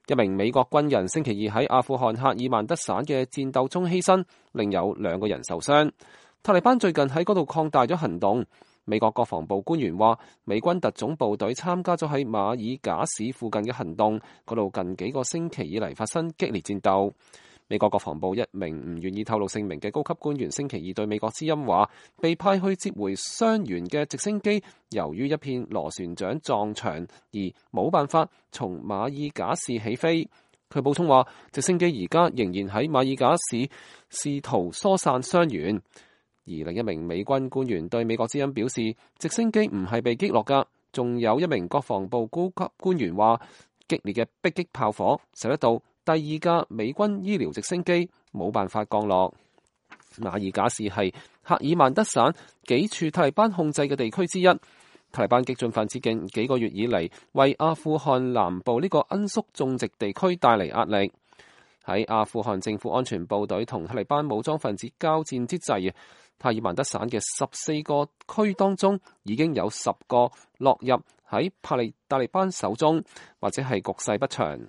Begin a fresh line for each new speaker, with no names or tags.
一名美國軍人星期二喺阿富汗赫爾曼德省嘅戰鬥中犧牲，另有2個人受傷。塔利班最近喺嗰度擴大咗行動。美國國防部官員話，美軍特種部隊參加咗喺馬爾賈市附近嘅行動，嗰度近幾個星期以嚟發生激烈戰鬥。美國國防部一名唔願意透露姓名嘅高級官員星期二對美國之音話，被派去接回傷員嘅直升機，由於一片螺旋槳撞牆而冇辦法從馬爾賈市起飛。佢補充話，直升機而家仍然喺馬爾賈市試圖疏散傷員。而另一名美軍官員對美國之音表示，直升機唔係被擊落㗎。仲有一名國防部高級官員話，激烈嘅迫擊炮火使得到第2架美軍醫療直升機冇辦法降落。馬爾賈市係赫爾曼德省幾處塔利班控制嘅地區之一。塔利班激進分子近幾個月以嚟，為阿富汗南部呢個罌粟種植地區帶嚟壓力。喺阿富汗政府安全部隊同塔利班武裝分子交戰之際，赫爾曼德省嘅14個區當中，已經有10個落入喺塔利班手中，或者係局勢不詳。